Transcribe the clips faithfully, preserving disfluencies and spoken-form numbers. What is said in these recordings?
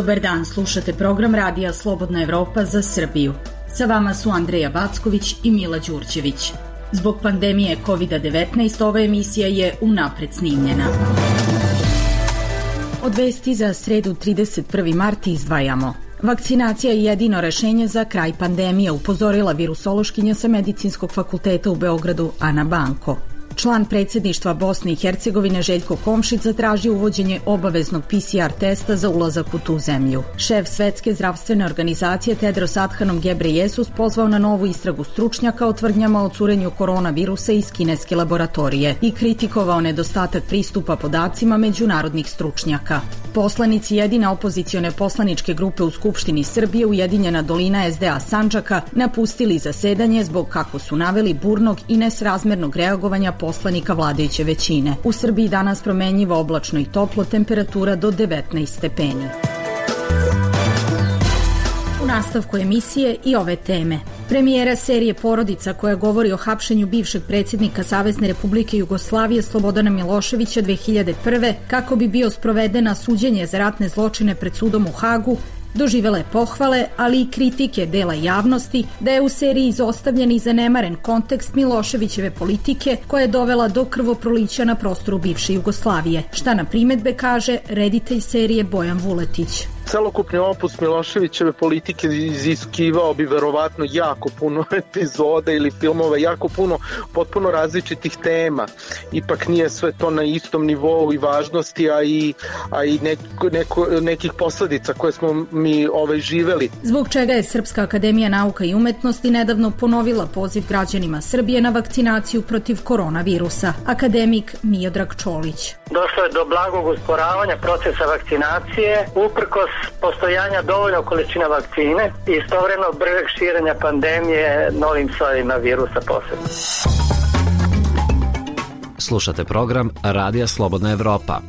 Dobar dan, slušate program Radija Slobodna Evropa za Srbiju. Sa vama su Andreja Backović i Mila Đurđević. Zbog pandemije kovid devetnaest ova emisija je unapred snimljena. Od vesti za sredu trideset prvi mart izdvajamo. Vakcinacija je jedino rešenje za kraj pandemije, upozorila virusološkinja sa Medicinskog fakulteta u Beogradu Ana Banko. Član predsjedništva Bosne i Hercegovine Željko Komšić zatražio uvođenje obaveznog P C R testa za ulazak u tu zemlju. Šef Svetske zdravstvene organizacije Tedros Adhanom Ghebreyesus pozvao na novu istragu stručnjaka o tvrdnjama o curenju koronavirusa iz kineske laboratorije i kritikovao nedostatak pristupa podacima međunarodnih stručnjaka. Poslanici jedine opozicione poslaničke grupe u Skupštini Srbije Ujedinjena dolina S D A Sandžaka napustili zasedanje zbog, kako su naveli, burnog i nesrazmernog reagovanja poslanika vladajuće većine. U Srbiji danas promenljivo oblačno i toplo, temperatura do devetnaest stepeni. U nastavku emisije i ove teme. Premijera serije Porodica, koja govori o hapšenju bivšeg predsjednika Savezne Republike Jugoslavije Slobodana Miloševića dve hiljade prve kako bi bio sprovedena suđenje za ratne zločine pred sudom u Hagu, doživela je pohvale, ali i kritike dela javnosti da je u seriji izostavljen i zanemaren kontekst Miloševićeve politike koja je dovela do krvoprolića na prostoru bivše Jugoslavije. Šta na primedbe kaže reditelj serije Bojan Vuletić. Celokupni opus Miloševićeve politike iziskivao bi verovatno jako puno epizoda ili filmova, jako puno potpuno različitih tema. Ipak nije sve to na istom nivou i važnosti, a i, a i neko, neko, nekih posledica koje smo mi ovaj živeli. Zbog čega je Srpska akademija nauka i umetnosti nedavno ponovila poziv građanima Srbije na vakcinaciju protiv koronavirusa. Akademik Miodrag Čolić. Došlo je do blagog usporavanja procesa vakcinacije, uprkos postojanja dovoljno količina vakcine i istovremeno bržeg širenja pandemije novim sojevima virusa posebno. Slušate program Radija Slobodna Evropa.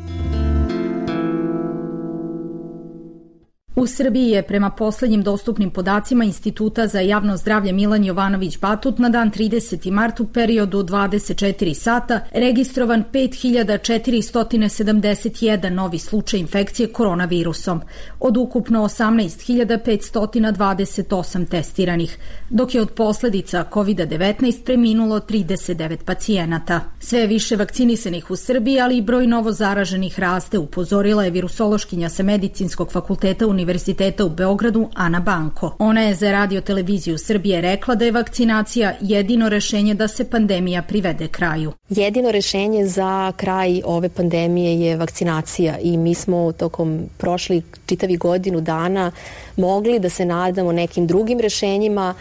U Srbiji je prema poslednjim dostupnim podacima Instituta za javno zdravlje Milan Jovanović Batut na dan trideseti mart u periodu od dvadeset četiri sata registrovan pet hiljada četiristo sedamdeset jedan novi slučaj infekcije koronavirusom, od ukupno osamnaest hiljada petsto dvadeset osam testiranih, dok je od posledica kovid devetnaest preminulo trideset devet pacijenata. Sve je više vakcinisanih u Srbiji, ali i broj novo zaraženih raste, upozorila je virusološkinja sa Medicinskog fakulteta Univerziteta u Beogradu Ana Banko. Ona je za Radio televiziju Srbije rekla da je vakcinacija jedino rešenje da se pandemija privede kraju. Jedino rešenje za kraj ove pandemije je vakcinacija i mi smo tokom prošlih čitavih godinu dana mogli da se nadamo nekim drugim rešenjima.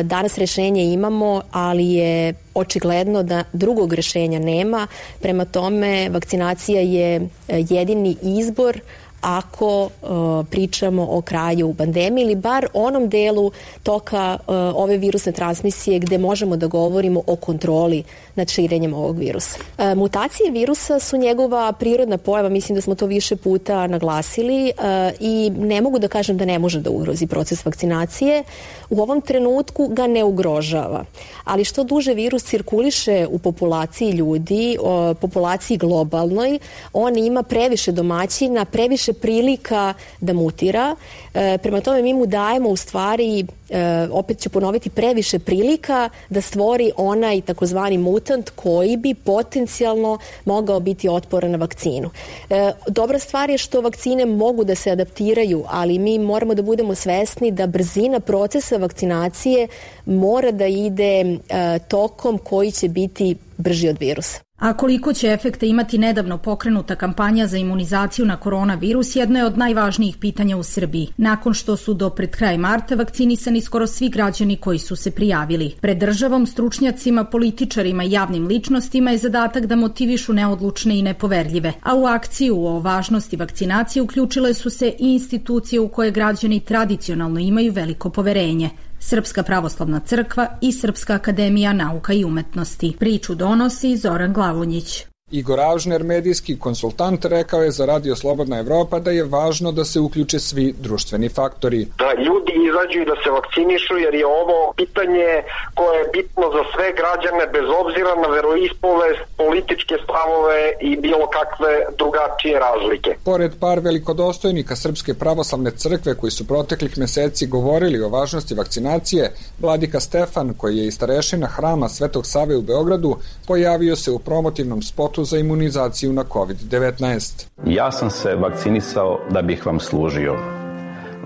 Danas rešenje imamo, ali je očigledno da drugog rešenja nema. Prema tome, vakcinacija je jedini izbor ako uh, pričamo o kraju pandemije ili bar onom delu toka uh, ove virusne transmisije gde možemo da govorimo o kontroli nad širenjem ovog virusa. Uh, mutacije virusa su njegova prirodna pojava, mislim da smo to više puta naglasili uh, i ne mogu da kažem da ne može da ugrozi proces vakcinacije. U ovom trenutku ga ne ugrožava, ali što duže virus cirkuliše u populaciji ljudi, uh, populaciji globalnoj, on ima previše domaćina, previše prilika da mutira. E, prema tome mi mu dajemo u stvari, e, opet ću ponoviti, previše prilika da stvori onaj takozvani mutant koji bi potencijalno mogao biti otporan na vakcinu. E, dobra stvar je što vakcine mogu da se adaptiraju, ali mi moramo da budemo svesni da brzina procesa vakcinacije mora da ide e, tokom koji će biti brži od virusa. A koliko će efekta imati nedavno pokrenuta kampanja za imunizaciju na koronavirus jedno je od najvažnijih pitanja u Srbiji, nakon što su do pred kraj marta vakcinisani skoro svi građani koji su se prijavili. Pred državom, stručnjacima, političarima i javnim ličnostima je zadatak da motivišu neodlučne i nepoverljive, a u akciju o važnosti vakcinacije uključile su se i institucije u koje građani tradicionalno imaju veliko poverenje. Srpska pravoslavna crkva i Srpska akademija nauka i umetnosti. Priču donosi Zoran Glavonjić. Igor Avžner, medijski konsultant, rekao je za Radio Slobodna Evropa da je važno da se uključe svi društveni faktori. Da ljudi izađu i da se vakcinišu, jer je ovo pitanje koje je bitno za sve građane bez obzira na veroispovest, političke stavove i bilo kakve drugačije razlike. Pored par velikodostojnika Srpske pravoslavne crkve koji su proteklih meseci govorili o važnosti vakcinacije, vladika Stefan, koji je i starešina hrama Svetog Save u Beogradu, pojavio se u promotivnom spotu za imunizaciju na kovid devetnaest. Ja sam se vakcinisao da bih vam služio.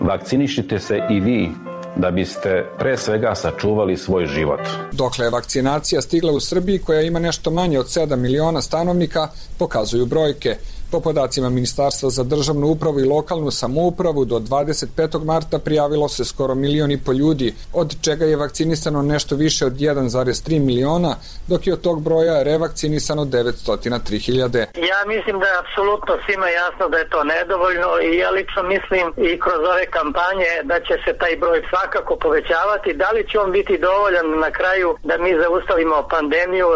Vakcinišite se i vi da biste pre svega sačuvali svoj život. Dokle je vakcinacija stigla u Srbiji, koja ima nešto manje od sedam miliona stanovnika, pokazuju brojke. Po podacima Ministarstva za državnu upravu i lokalnu samoupravu, do dvadeset petog marta prijavilo se skoro milion i po ljudi, od čega je vakcinisano nešto više od jedan zarez tri miliona, dok je od tog broja revakcinisano devetsto tri hiljade. Ja mislim da je apsolutno svima jasno da je to nedovoljno i ja lično mislim i kroz ove kampanje da će se taj broj svakako povećavati. Da li će on biti dovoljan na kraju da mi zaustavimo pandemiju,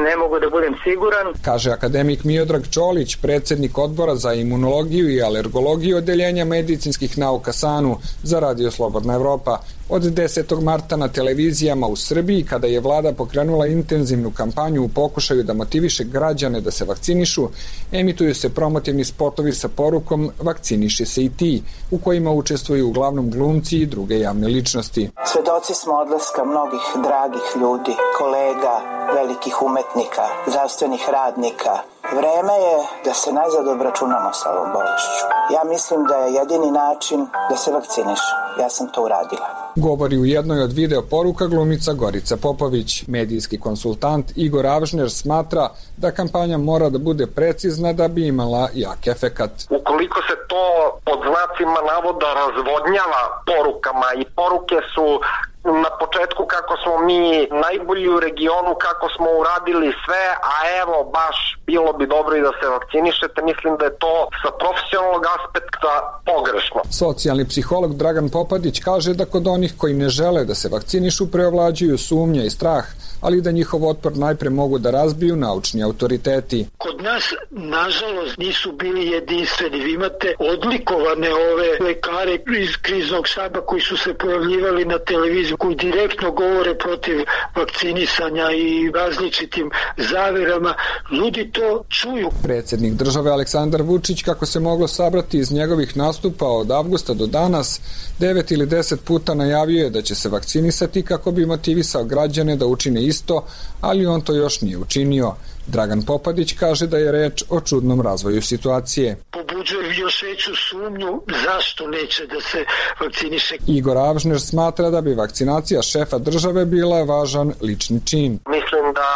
ne mogu da budem siguran. Kaže akademik Miodrag Čolić, predsednik Odbora za imunologiju i alergologiju Odeljenja medicinskih nauka SANU za Radio Slobodna Evropa. Od desetog marta na televizijama u Srbiji, kada je vlada pokrenula intenzivnu kampanju u pokušaju da motiviše građane da se vakcinišu, emituju se promotivni spotovi sa porukom "Vakciniši se i ti", u kojima učestvuju uglavnom glumci i druge javne ličnosti. Svedoci smo odlaska mnogih dragih ljudi, kolega, velikih umetnika, zdravstvenih radnika. Vreme je da se najzad obračunamo sa ovom bolešću. Ja mislim da je jedini način da se vakciniš. Ja sam to uradila. Govori u jednoj od video poruka glumica Gorica Popović. Medijski konsultant Igor Avžner smatra da kampanja mora da bude precizna da bi imala jak efekat. Ukoliko se to pod znacima navoda razvodnjava porukama i poruke su na početku kako smo mi najbolji u regionu, kako smo uradili sve, a evo baš bilo bi dobro i da se vakcinišete, mislim da je to sa profesionalnog aspekta pogrešno. Socijalni psiholog Dragan Popadić kaže da kod onih koji ne žele da se vakcinišu preovlađuju sumnja i strah, ali da njihov otpor najpre mogu da razbiju naučni autoriteti. Kod nas, nažalost, nisu bili jedinstveni. Vi imate odlikovane ove lekare iz kriznog štaba koji su se pojavljivali na televiziju, koji direktno govore protiv vakcinisanja i različitim zaverama. Ljudi to čuju. Predsjednik države Aleksandar Vučić, kako se moglo sabrati iz njegovih nastupa od avgusta do danas, devet ili deset puta najavio je da će se vakcinisati kako bi motivisao građane da učine isto, ali on to još nije učinio. Dragan Popadić kaže da je reč o čudnom razvoju situacije. Pobuđuje još veću sumnju zašto neće da se vakciniše. Igor Avžner smatra da bi vakcinacija šefa države bila važan lični čin. Mislim da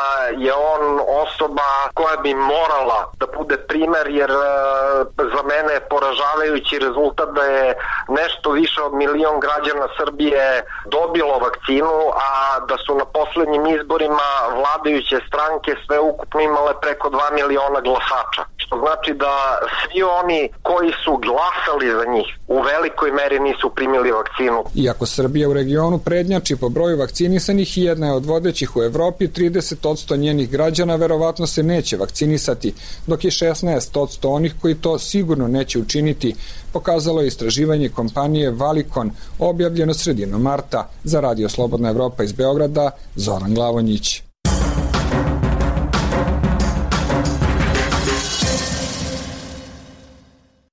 je on osoba koja bi morala da bude primer, jer za mene je poražavajući rezultat da je nešto više od milion građana Srbije dobilo vakcinu, a da su na poslednjim izborima vladajuće stranke sve ukupno imale preko dva miliona glasača. Što znači da svi oni koji su glasali za njih u velikoj meri nisu primili vakcinu. Iako Srbija u regionu prednjači po broju vakcinisanih i jedna je od vodećih u Evropi, trideset posto njenih građana verovatno se neće vakcinisati, dok je šesnaest posto onih koji to sigurno neće učiniti, pokazalo je istraživanje kompanije Valikon, objavljeno sredinom marta. Za Radio Slobodna Evropa iz Beograda, Zoran Glavonjić.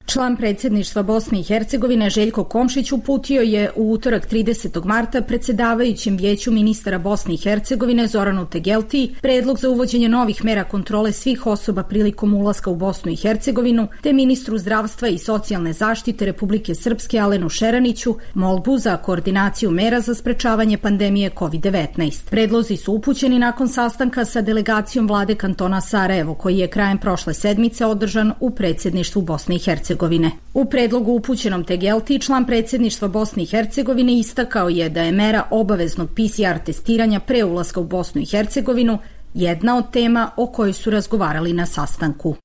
Član predsjedništva Bosne i Hercegovine Željko Komšić uputio je u utorak tridesetog marta predsjedavajućem vijeću ministara Bosne i Hercegovine Zoranu Tegelti predlog za uvođenje novih mera kontrole svih osoba prilikom ulaska u Bosnu i Hercegovinu, te ministru zdravstva i socijalne zaštite Republike Srpske Alenu Šeraniću molbu za koordinaciju mera za sprečavanje pandemije kovid devetnaest. Predlozi su upućeni nakon sastanka sa delegacijom vlade kantona Sarajevo, koji je krajem prošle sedmice održan u predsjedništvu Bosne i Hercegovine. U predlogu upućenom Tegelti, član predsjedništva Bosne i Hercegovine istakao je da je mera obaveznog P C R testiranja pre ulaska u Bosnu i Hercegovinu jedna od tema o kojoj su razgovarali na sastanku.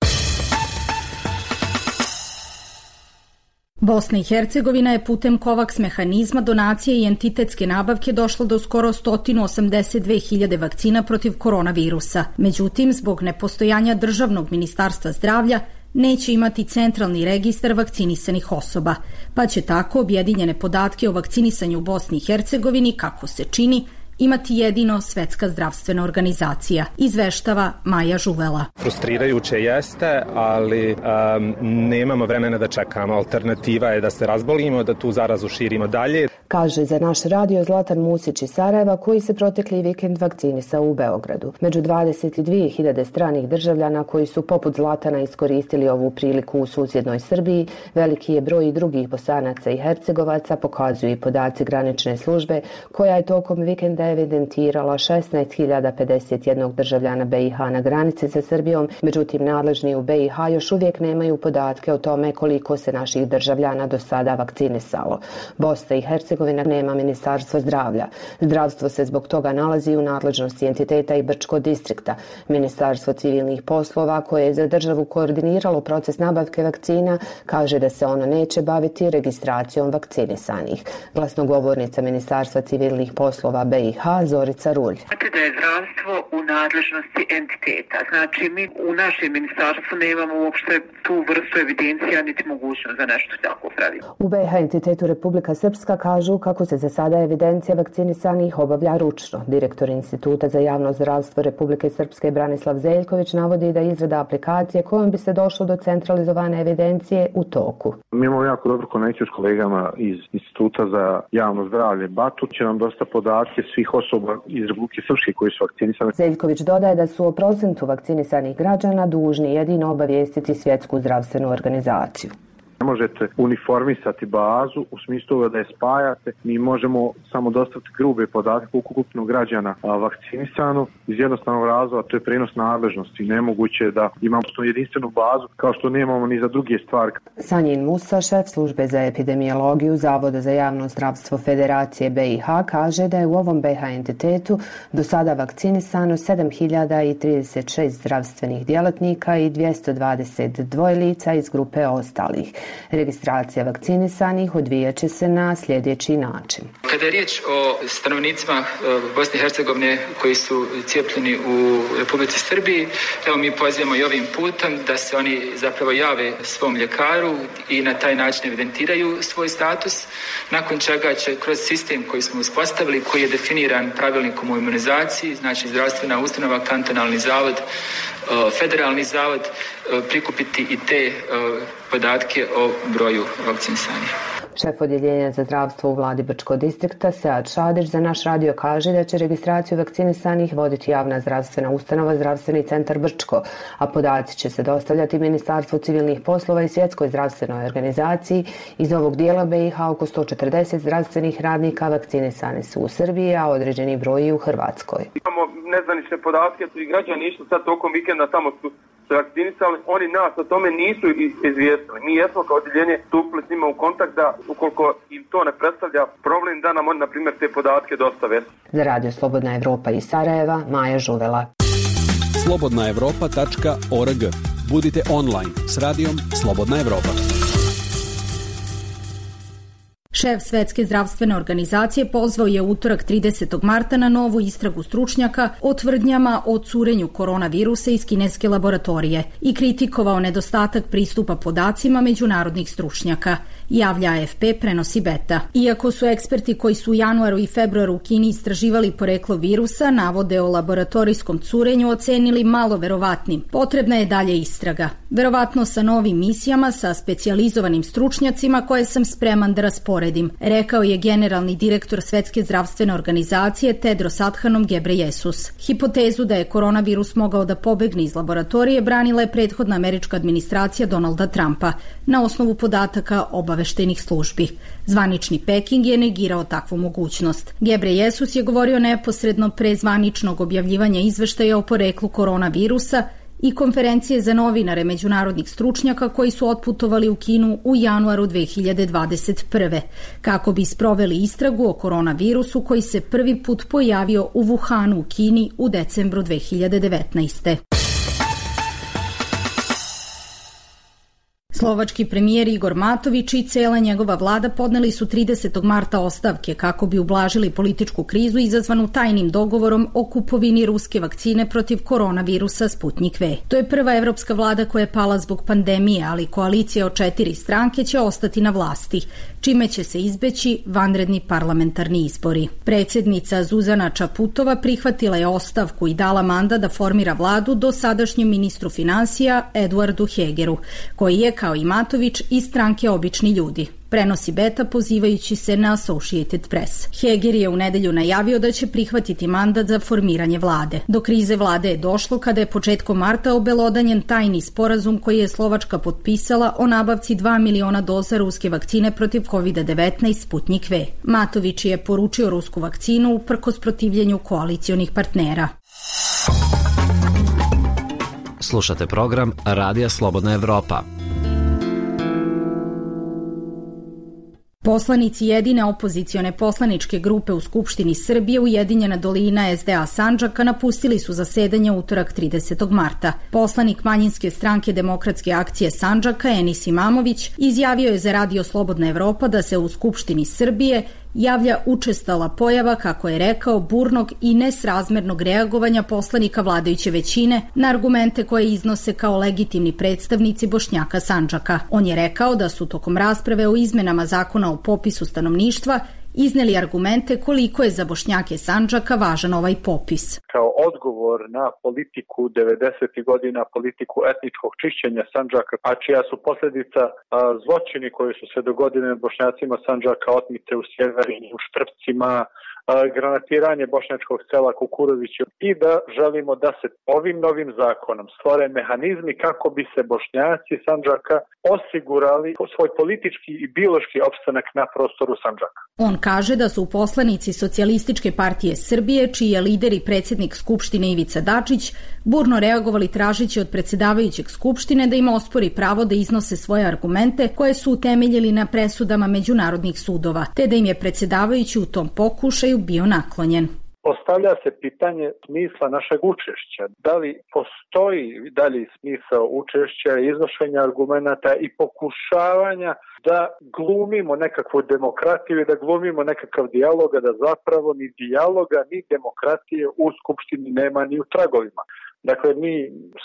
Bosna i Hercegovina je putem COVAX mehanizma donacije i entitetske nabavke došla do skoro sto osamdeset dve hiljade vakcina protiv koronavirusa. Međutim, zbog nepostojanja Državnog ministarstva zdravlja, neće imati centralni registar vakcinisanih osoba, pa će tako objedinjene podatke o vakcinisanju u Bosni i Hercegovini, kako se čini, imati jedino Svetska zdravstvena organizacija, izveštava Maja Žuvela. Frustrirajuće jeste, ali um, nemamo vremena da čekamo. Alternativa je da se razbolimo, da tu zarazu širimo dalje. Kaže za naš radio Zlatan Musić iz Sarajeva, koji se protekli vikend vakcinisao u Beogradu. Među dvadeset dvije hiljade stranih državljana koji su poput Zlatana iskoristili ovu priliku u susjednoj Srbiji, veliki je broj i drugih Bosanaca i Hercegovaca, pokazuju i podaci granične službe, koja je tokom vikenda evidentirala šesnaest hiljada pedeset jedan državljana B i H na granici sa Srbijom, međutim nadležni u B i H još uvijek nemaju podatke o tome koliko se naših državljana do sada vakcinisalo. Bosna i Hercegovina nema ministarstvo zdravlja. Zdravstvo se zbog toga nalazi u nadležnosti entiteta i Brčko distrikta. Ministarstvo civilnih poslova, koje je za državu koordiniralo proces nabavke vakcina, kaže da se ono neće baviti registracijom vakcinisanih. Glasnogovornica Ministarstva civilnih poslova B i H Zorica Rulj. Znate da je zdravstvo u nadležnosti entiteta. Znači mi u našem ministarstvu nemamo uopšte tu vrstu evidencija niti mogućnost za nešto tako praviti. U B i H entitetu Republika Srpska kažu kako se za sada evidencija vakcinisanih obavlja ručno. Direktor Instituta za javno zdravstvo Republike Srpske Branislav Zeljković navodi da je izrada aplikacije kojom bi se došlo do centralizovane evidencije u toku. Mi imamo jako dobru konekciju s kolegama iz Instituta za javno zdravlje Batut, će nam dosta podatke svih osoba iz Republike Srpske koji su vakcinisane. Zeljković dodaje da su o procentu vakcinisanih građana dužni jedino obavijestiti Svjetsku zdravstvenu organizaciju. Ne možete uniformisati bazu u smislu da je spajate. Mi možemo samo dostaviti grube podatke ukupno građana vakcinisano iz jednostavnog razloga, to je prenos nadležnosti. Nemoguće je da imamo jedinstvenu bazu kao što nemamo ni za druge stvari. Sanjin Musa, šef službe za epidemiologiju Zavoda za javno zdravstvo Federacije B i H, kaže da je u ovom B i H entitetu do sada vakcinisano sedam hiljada trideset šest zdravstvenih djelatnika i dvjesto dvadeset dva lica iz grupe ostalih. Registracija vakcinisanih odvijat će se na sljedeći način. Kada je riječ o stanovnicima Bosne i Hercegovine koji su cijepljeni u Republici Srbiji, evo mi pozivamo i ovim putem da se oni zapravo jave svom ljekaru i na taj način evidentiraju svoj status, nakon čega će kroz sistem koji smo uspostavili, koji je definiran pravilnikom o imunizaciji, znači zdravstvena ustanova, kantonalni zavod, federalni zavod, prikupiti i te podatke o broju vakcinisanih. Šef odjeljenja za zdravstvo u vladi Brčko distrikta Sead Šadić za naš radio kaže da će registraciju vakcinisanih voditi javna zdravstvena ustanova Zdravstveni centar Brčko, a podaci će se dostavljati Ministarstvu civilnih poslova i Svjetskoj zdravstvenoj organizaciji. Iz ovog dijela B i H oko sto četrdeset zdravstvenih radnika vakcinisani su u Srbiji, a određeni broj i u Hrvatskoj. Imamo nezvanične podatke, su i građani išli sad tokom vikenda, tamo su se vakcinisali, oni nas o tome nisu izvijestili. Mi jesmo kao odjeljenje stupili s njima u kontakt da ukoliko im to ne predstavlja problem da nam oni, na primjer, te podatke dostave. Za Radio Slobodna Evropa iz Sarajeva, Maja Žuvela. slobodna evropa tačka org. Budite online s radijom Slobodna Evropa. Šef Svetske zdravstvene organizacije pozvao je utorak tridesetog marta na novu istragu stručnjaka o tvrdnjama o curenju koronavirusa iz kineske laboratorije i kritikovao nedostatak pristupa podacima međunarodnih stručnjaka, javlja A F P, prenosi Beta. Iako su eksperti koji su u januaru i februaru u Kini istraživali poreklo virusa, navode o laboratorijskom curenju ocenili malo verovatnim. Potrebna je dalje istraga. Verovatno sa novim misijama, sa specijalizovanim stručnjacima koje sam spreman da rasporedim, rekao je generalni direktor Svetske zdravstvene organizacije Tedros Adhanom Ghebreyesus. Hipotezu da je koronavirus mogao da pobegne iz laboratorije branila je prethodna američka administracija Donalda Trumpa na osnovu podataka obaveštenih službi. Zvanični Peking je negirao takvu mogućnost. Ghebreyesus je govorio neposredno pre zvaničnog objavljivanja izveštaja o poreklu koronavirusa i konferencije za novinare međunarodnih stručnjaka koji su otputovali u Kinu u januaru dve hiljade dvadeset prve. kako bi sproveli istragu o koronavirusu koji se prvi put pojavio u Wuhanu u Kini u decembru dve hiljade devetnaeste. Slovački premijer Igor Matović i cela njegova vlada podneli su tridesetog marta ostavke kako bi ublažili političku krizu izazvanu tajnim dogovorom o kupovini ruske vakcine protiv koronavirusa Sputnik V. To je prva evropska vlada koja je pala zbog pandemije, ali koalicija od četiri stranke će ostati na vlasti, čime će se izbeći vanredni parlamentarni izbori. Predsjednica Zuzana Čaputova prihvatila je ostavku i dala mandat da formira vladu dosadašnjem ministru finansija Eduardu Hegeru, koji je, kao i Matović, iz stranke Obični ljudi. Prenosi Beta pozivajući se na Associated Press. Heger je u nedelju najavio da će prihvatiti mandat za formiranje vlade. Do krize vlade je došlo kada je početkom marta obelodanjen tajni sporazum koji je Slovačka potpisala o nabavci dva miliona doza ruske vakcine protiv kovid devetnaest Sputnik V. Matović je poručio rusku vakcinu uprkos protivljenju koalicionih partnera. Slušate program Radija Slobodna Evropa. Poslanici jedine opozicione poslaničke grupe u Skupštini Srbije Ujedinjena dolina S D A Sandžaka napustili su zasedanje utorak tridesetog marta. Poslanik manjinske stranke Demokratske akcije Sandžaka Enis Imamović izjavio je za Radio Slobodna Evropa da se u Skupštini Srbije javlja učestala pojava, kako je rekao, burnog i nesrazmernog reagovanja poslanika vladajuće većine na argumente koje iznose kao legitimni predstavnici Bošnjaka Sandžaka. On je rekao da su tokom rasprave o izmenama zakona o popisu stanovništva izneli argumente koliko je za Bošnjake Sandžaka važan ovaj popis. Kao odgovor na politiku devedesetih godina, politiku etničkog čišćenja Sandžaka, a čija su posljedica a, zločini koji su se dogodili Bošnjacima Sandžaka, otmice u Sjeverini, u Štrpcima, granatiranje bošnjačkog sela Kukurovića i da želimo da se ovim novim zakonom stvore mehanizmi kako bi se Bošnjaci Sandžaka osigurali svoj politički i biološki opstanak na prostoru Sandžaka. On kaže da su poslanici Socijalističke partije Srbije, čiji je lider i predsjednik Skupštine Ivica Dačić, burno reagovali tražeći od predsjedavajućeg Skupštine da im ospori pravo da iznose svoje argumente koje su utemeljili na presudama međunarodnih sudova, te da im je predsjedavajući u tom pokušaju bio naklonjen. Postavlja se pitanje smisla našeg učešća. Da li postoji dalji smisao učešća, iznošenja argumenata i pokušavanja da glumimo nekakvu demokratiju i da glumimo nekakav dijalog, a da zapravo ni dijaloga ni demokratije u Skupštini nema ni u tragovima. Dakle, mi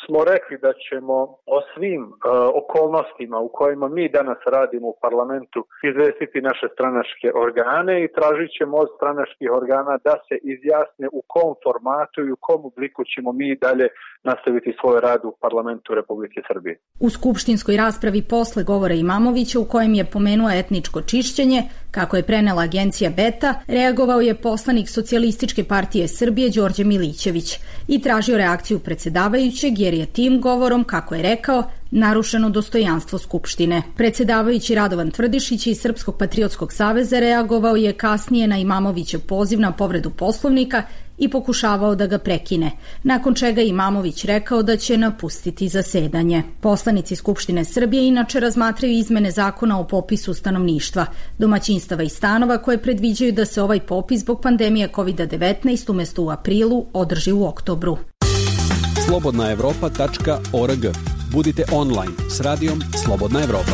smo rekli da ćemo o svim uh, okolnostima u kojima mi danas radimo u parlamentu izvestiti naše stranačke organe i tražit ćemo od stranačkih organa da se izjasne u kom formatu i u kom obliku ćemo mi dalje nastaviti svoj rad u parlamentu Republike Srbije. U skupštinskoj raspravi posle govora Imamovića, u kojem je pomenuo etničko čišćenje, kako je prenela agencija Beta, reagovao je poslanik Socijalističke partije Srbije Đorđe Milićević i tražio reakciju predsjedavajućeg jer je tim govorom, kako je rekao, narušeno dostojanstvo Skupštine. Predsjedavajući Radovan Tvrdišić iz Srpskog patriotskog saveza reagovao je kasnije na Imamovićev poziv na povredu Poslovnika i pokušavao da ga prekine, nakon čega Imamović rekao da će napustiti zasedanje. Poslanici Skupštine Srbije inače razmatraju izmene zakona o popisu stanovništva, domaćinstava i stanova koje predviđaju da se ovaj popis zbog pandemije kovid devetnaest umjesto u aprilu održi u oktobru. slobodna evropa tačka org. Budite online s radijom Slobodna Evropa.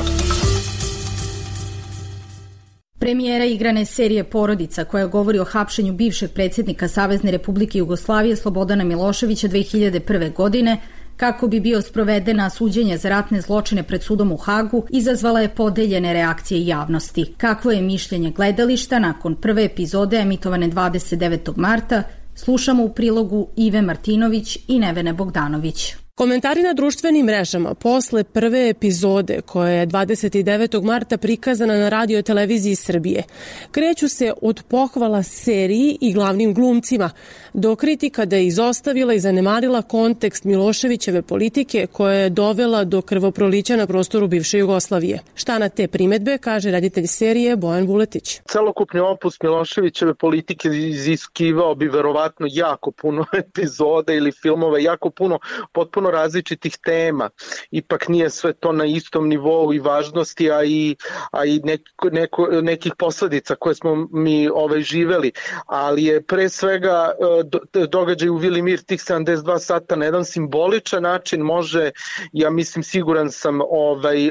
Premijera igrane serije Porodica, koja govori o hapšenju bivšeg predsjednika Savezne Republike Jugoslavije Slobodana Miloševića dve hiljade prve. godine, kako bi bio sprovedena suđenje za ratne zločine pred sudom u Hagu, izazvala je podeljene reakcije javnosti. Kakvo je mišljenje gledališta nakon prve epizode emitovane dvadeset devetog marta, slušamo u prilogu Ive Martinović i Nevene Bogdanović. Komentari na društvenim mrežama posle prve epizode, koja je dvadeset devetog marta prikazana na Radio televiziji Srbije, kreću se od pohvala seriji i glavnim glumcima, do kritika da je izostavila i zanemarila kontekst Miloševićeve politike koja je dovela do krvoprolića na prostoru bivše Jugoslavije. Šta na te primetbe kaže reditelj serije Bojan Vuletić. Celokupni opus Miloševićeve politike iziskivao bi verovatno jako puno epizoda ili filmova, jako puno potpuno potpuno različitih tema. Ipak nije sve to na istom nivou i važnosti, a i, a i neko, neko, nekih posledica koje smo mi ovaj, živeli. Ali je pre svega do, događaj u Vili Mir tih sedamdeset dva sata na jedan simboličan način može, ja mislim siguran sam, ovaj,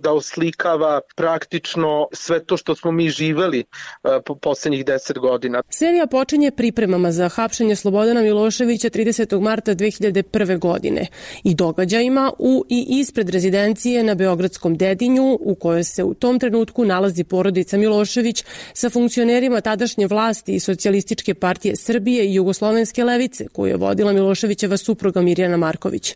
da oslikava praktično sve to što smo mi živeli po poslednjih deset godina. Serija počinje pripremama za hapšenje Slobodana Miloševića tridesetog marta dve hiljade prve. godine i događajima u i ispred rezidencije na Beogradskom Dedinju, u kojoj se u tom trenutku nalazi porodica Milošević sa funkcionerima tadašnje vlasti i Socijalističke partije Srbije i Jugoslovenske levice, koju je vodila Miloševićeva supruga Mirjana Marković.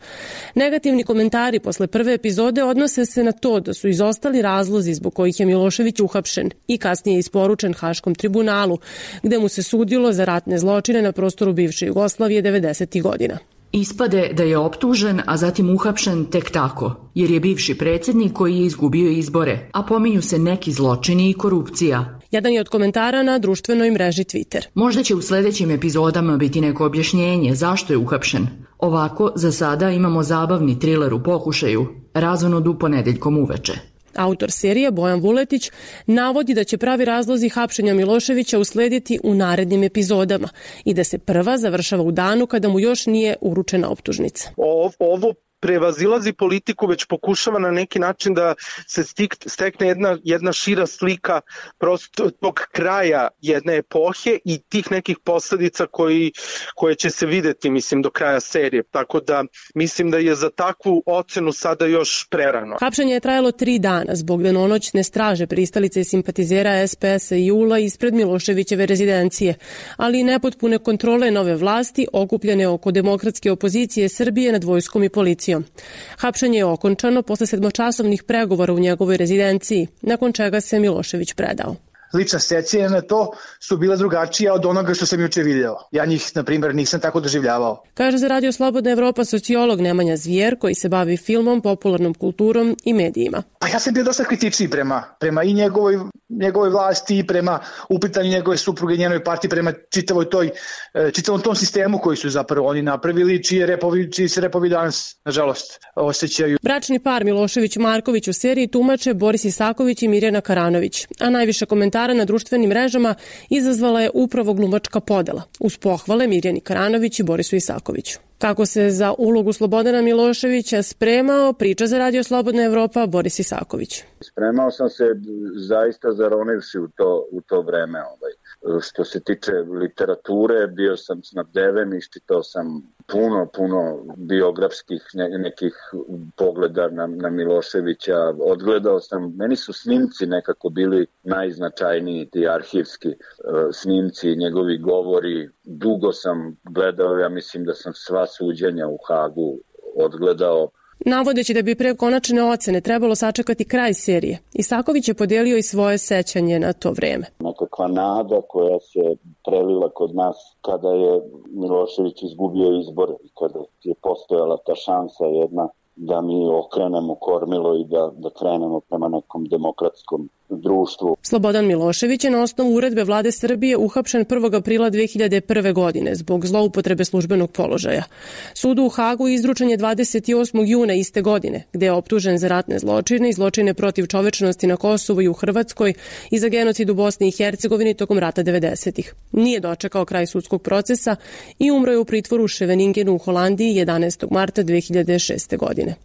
Negativni komentari posle prve epizode odnose se na to da su izostali razlozi zbog kojih je Milošević uhapšen i kasnije isporučen Haškom tribunalu, gde mu se sudilo za ratne zločine na prostoru bivše Jugoslavije devedesetih godina. Ispade da je optužen, a zatim uhapšen tek tako, jer je bivši predsjednik koji je izgubio izbore, a pominju se neki zločini i korupcija. Jedan je od komentara na društvenoj mreži Twitter. Možda će u sledećim epizodama biti neko objašnjenje zašto je uhapšen. Ovako, za sada imamo zabavni triler u pokušaju, razonod u ponedeljkom uveče. Autor serije Bojan Vuletić navodi da će pravi razlozi hapšenja Miloševića uslediti u narednim epizodama i da se prva završava u danu kada mu još nije uručena optužnica. Ovo, ovo prevazilazi politiku, već pokušava na neki način da se stekne jedna, jedna šira slika prosto tog kraja jedne epohe i tih nekih posledica koji, koje će se videti, mislim, do kraja serije. Tako da mislim da je za takvu ocenu sada još prerano. Hapšenje je trajalo tri dana zbog danonoćne straže pristalice i simpatizera es pe es i JUL ispred Miloševićeve rezidencije, ali i nepotpune kontrole nove vlasti okupljene oko demokratske opozicije Srbije nad vojskom i policijom. Hapšenje je okončano posle sedmočasovnih pregovora u njegovoj rezidenciji, nakon čega se Milošević predao. Lična sećanja na to su bila drugačija od onoga što sam juče video. Ja njih, na primjer, nisam tako doživljavao. Kaže za Radio Slobodna Evropa sociolog Nemanja Zvijer, koji se bavi filmom, popularnom kulturom i medijima. Pa ja sam bio dosta kritičniji prema, prema i njegovoj, njegovoj vlasti i prema upitanju njegove supruge i njenoj partiji, prema čitavoj toj, čitavom tom sistemu koji su zapravo oni napravili, čije repovi, čiji se repovi danas, nažalost, osjećaju. Bračni par Milošević-Marković u seriji tumače Boris Isaković i Mirjana Karanović, a najviše komentara na društvenim mrežama izazvala je upravo glumačka podela, uz pohvale Mirjani Karanović i Borisu Isakoviću. Kako se za ulogu Slobodana Miloševića spremao, priča za Radio Slobodna Evropa Boris Isaković. Spremao sam se zaista zaronivši u to, u to vreme. Ovaj. Što se tiče literature, bio sam snabdeven, iščitao sam puno, puno biografskih ne, nekih pogleda na, na Miloševića. Odgledao sam, meni su snimci nekako bili najznačajniji, ti arhivski uh, snimci, njegovi govori. Dugo sam gledao, ja mislim da sam sva suđenja u Hagu odgledao. Navodeći da bi pre konačne ocene trebalo sačekati kraj serije, Isaković je podelio i svoje sećanje na to vreme. Nekakva nada koja se prelila kod nas kada je Milošević izgubio izbore i kada je postojala ta šansa jedna da mi okrenemo kormilo i da, da krenemo prema nekom demokratskom društvu. Slobodan Milošević je na osnovu uredbe vlade Srbije uhapšen prvog aprila dve hiljade prve. godine zbog zloupotrebe službenog položaja. Sudu u Hagu izručen je dvadeset osmog juna iste godine, gde je optužen za ratne zločine i zločine protiv čovečnosti na Kosovu i u Hrvatskoj i za genocid u Bosni i Hercegovini tokom rata devedesetih. Nije dočekao kraj sudskog procesa i umro je u pritvoru u Scheveningenu u Holandiji jedanaestog marta dve hiljade šeste. godine.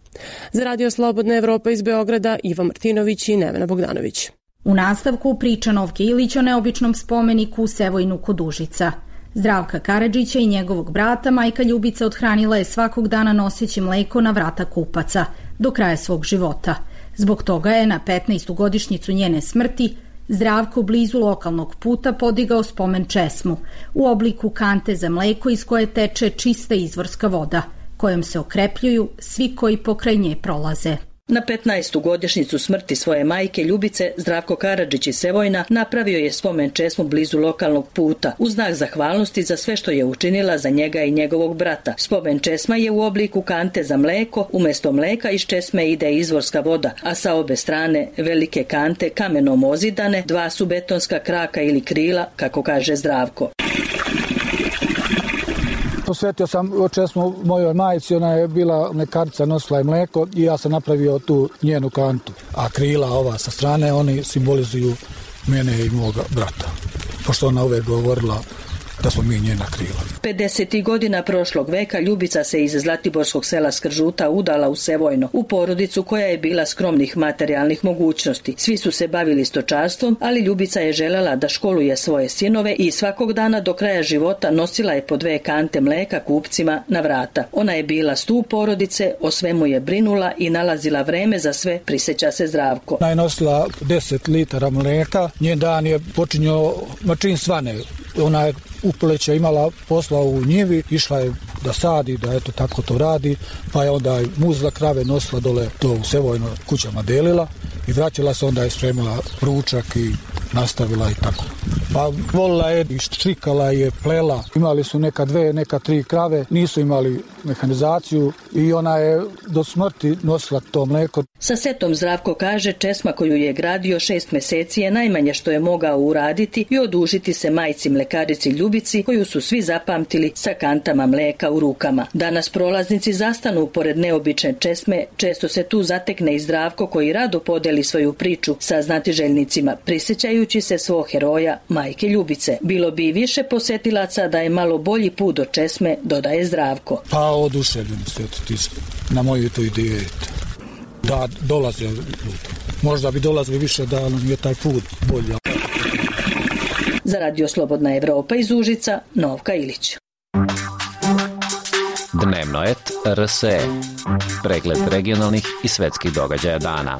Za Radio Slobodna Evropa iz Beograda Iva Martinović i Nevena Bogdanović. U nastavku priča Novke Ilić o neobičnom spomeniku u Sevojnu kod Užica. Zdravka Karadžića i njegovog brata majka Ljubica odhranila je svakog dana noseći mleko na vrata kupaca do kraja svog života. Zbog toga je na petnaestu godišnjicu njene smrti Zdravko blizu lokalnog puta podigao spomen česmu u obliku kante za mleko iz koje teče čista izvorska voda, kojom se okrepljuju svi koji pokraj nje prolaze. Na petnaestu godišnjicu smrti svoje majke Ljubice, Zdravko Karadžić iz Sevojna napravio je spomen česmu blizu lokalnog puta u znak zahvalnosti za sve što je učinila za njega i njegovog brata. Spomen česma je u obliku kante za mleko, umesto mleka iz česme ide izvorska voda, a sa obe strane velike kante kamenom ozidane, dva su betonska kraka ili krila, kako kaže Zdravko. posvetio sam česmu mojoj majici, ona je bila mlekarica, nosila je mleko i ja sam napravio tu njenu kantu. A krila ova sa strane, oni simbolizuju mene i moga brata. Pošto ona uvek govorila da smo mi njena krila. pedesetih godina prošlog veka Ljubica se iz zlatiborskog sela Skržuta udala u Sevojno, u porodicu koja je bila skromnih materijalnih mogućnosti. Svi su se bavili stočarstvom, ali Ljubica je želela da školuje svoje sinove i svakog dana do kraja života nosila je po dve kante mleka kupcima na vrata. Ona je bila stup porodice, o svemu je brinula i nalazila vreme za sve, prisjeća se Zdravko. Ona je nosila deset litara mleka, njen dan je počinjao mačin svane. Ona je upoleća imala posla u njivi, išla je da sadi, da eto tako to radi, pa je onda muzla krave, nosila dole to u Sevojno, kućama delila i vraćala se, onda je spremala ručak i nastavila i tako. Pa volila je i štrikala je, plela. Imali su neka dve, neka tri krave, nisu imali mehanizaciju i ona je do smrti nosila to mleko. Sa setom Zdravko kaže česma koju je gradio šest meseci je najmanje što je mogao uraditi i odužiti se majci mlekarici Ljubici koju su svi zapamtili sa kantama mleka u rukama. Danas prolaznici zastanu pored neobične česme, često se tu zatekne i Zdravko koji rado podeli svoju priču sa znatiželjnicima, prisjećajući se svog heroja majke Ljubice. Bilo bi više posetilaca da je malo bolji put do česme, dodaje Zdravko. Pa oduševljeni ste na moju tu ideju da dolaze ljudi. Možda bi dolazili više da nam je taj put bolji. Za Radio Slobodna Evropa iz Užica, Novka Ilić. Dnevno et R S E. Pregled regionalnih i svetskih događaja dana.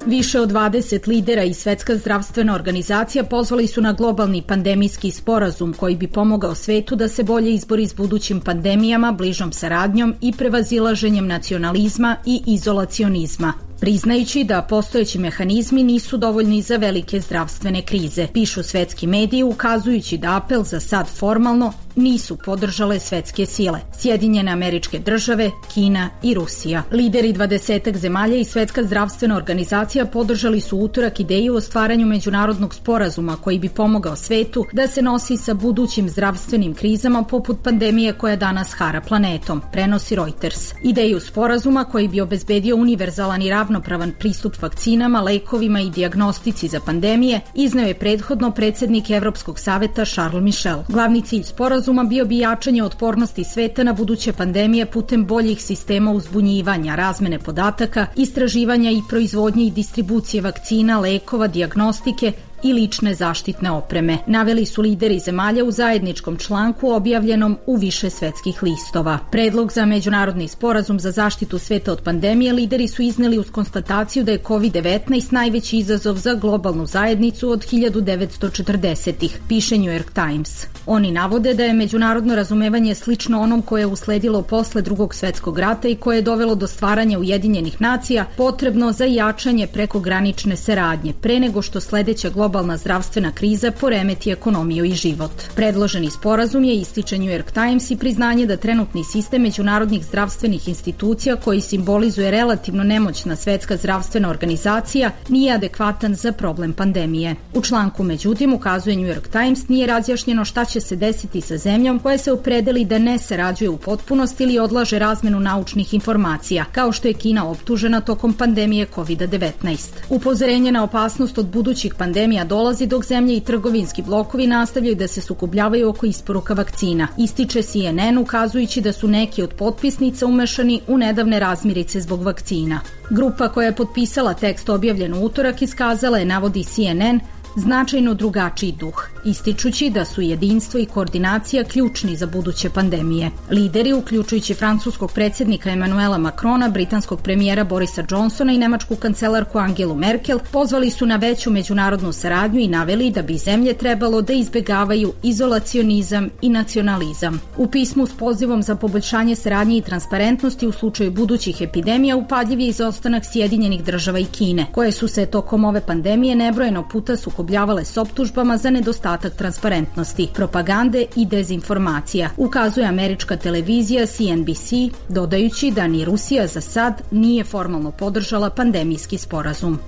Više od dvadeset lidera i Svetska zdravstvena organizacija pozvali su na globalni pandemijski sporazum koji bi pomogao svetu da se bolje izbori s budućim pandemijama, bližom saradnjom i prevazilaženjem nacionalizma i izolacionizma, priznajući da postojeći mehanizmi nisu dovoljni za velike zdravstvene krize. Pišu svetski mediji ukazujući da apel za sad formalno nisu podržale svetske sile, Sjedinjene Američke Države, Kina i Rusija. Lideri dvadesetak zemalja i Svetska zdravstvena organizacija podržali su utorak ideju o stvaranju međunarodnog sporazuma koji bi pomogao svetu da se nosi sa budućim zdravstvenim krizama poput pandemije koja danas hara planetom, prenosi Reuters. Ideju sporazuma koji bi obezbedio univerzalan i ravnopravan pristup vakcinama, lekovima i dijagnostici za pandemije izneo je prethodno predsednik Evropskog saveta Charles Michel. Glavni cilj sporazuma bio bi jačanje otpornosti sveta na buduće pandemije putem boljih sistema uzbunjivanja, razmene podataka, istraživanja i proizvodnje i distribucije vakcina, lekova, dijagnostike i lične zaštitne opreme, naveli su lideri zemalja u zajedničkom članku objavljenom u više svetskih listova. Predlog za međunarodni sporazum za zaštitu sveta od pandemije lideri su izneli uz konstataciju da je kovid devetnaest najveći izazov za globalnu zajednicu od hiljadu devetsto četrdesetih, piše New York Times. Oni navode da je međunarodno razumevanje slično onom koje je usledilo posle drugog svetskog rata i koje je dovelo do stvaranja Ujedinjenih nacija potrebno za jačanje prekogranične saradnje, pre nego što sledeća globalna zdravstvena kriza poremeti ekonomiju i život. Predloženi sporazum je, ističe New York Times, i priznanje da trenutni sistem međunarodnih zdravstvenih institucija koji simbolizuje relativno nemoćna Svetska zdravstvena organizacija nije adekvatan za problem pandemije. U članku međutim, ukazuje New York Times, nije razjašnjeno šta će se desiti sa zemljom koja se opredeli da ne sarađuje u potpunosti ili odlaže razmenu naučnih informacija, kao što je Kina optužena tokom pandemije kovid devetnaest. Upozorenje na opasnost od budućih pandemija dolazi dok zemlje i trgovinski blokovi nastavljaju da se sukobljavaju oko isporuka vakcina, ističe C N N ukazujući da su neki od potpisnica umešani u nedavne razmirice zbog vakcina. Grupa koja je potpisala tekst objavljen u utorak iskazala je, navodi C N N, značajno drugačiji duh, ističući da su jedinstvo i koordinacija ključni za buduće pandemije. Lideri, uključujući francuskog predsjednika Emmanuela Macrona, britanskog premijera Borisa Johnsona i nemačku kancelarku Angelu Merkel, pozvali su na veću međunarodnu saradnju i naveli da bi zemlje trebalo da izbegavaju izolacionizam i nacionalizam. U pismu s pozivom za poboljšanje saradnje i transparentnosti u slučaju budućih epidemija upadljiv je izostanak Sjedinjenih Država i Kine, koje su se tokom ove pandemije nebrojeno puta sukobljavale s optužbama za nedostatak transparentnosti, propagande i dezinformacija, ukazuje američka televizija C N B C, dodajući da ni Rusija za sad nije formalno podržala pandemijski sporazum.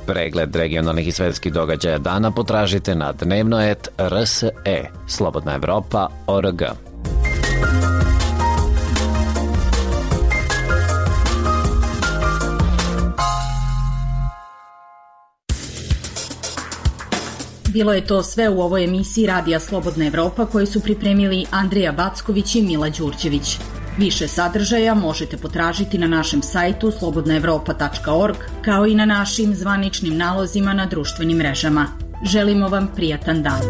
Pregled regionalnih i svetskih događaja dana potražite na dnevno et r s e, slobodna evropa tačka org. Bilo je to sve u ovoj emisiji Radija Slobodna Evropa koju su pripremili Andreja Backović i Mila Đurđević. Više sadržaja možete potražiti na našem sajtu slobodna evropa tačka org kao i na našim zvaničnim nalozima na društvenim mrežama. Želimo vam prijatan dan.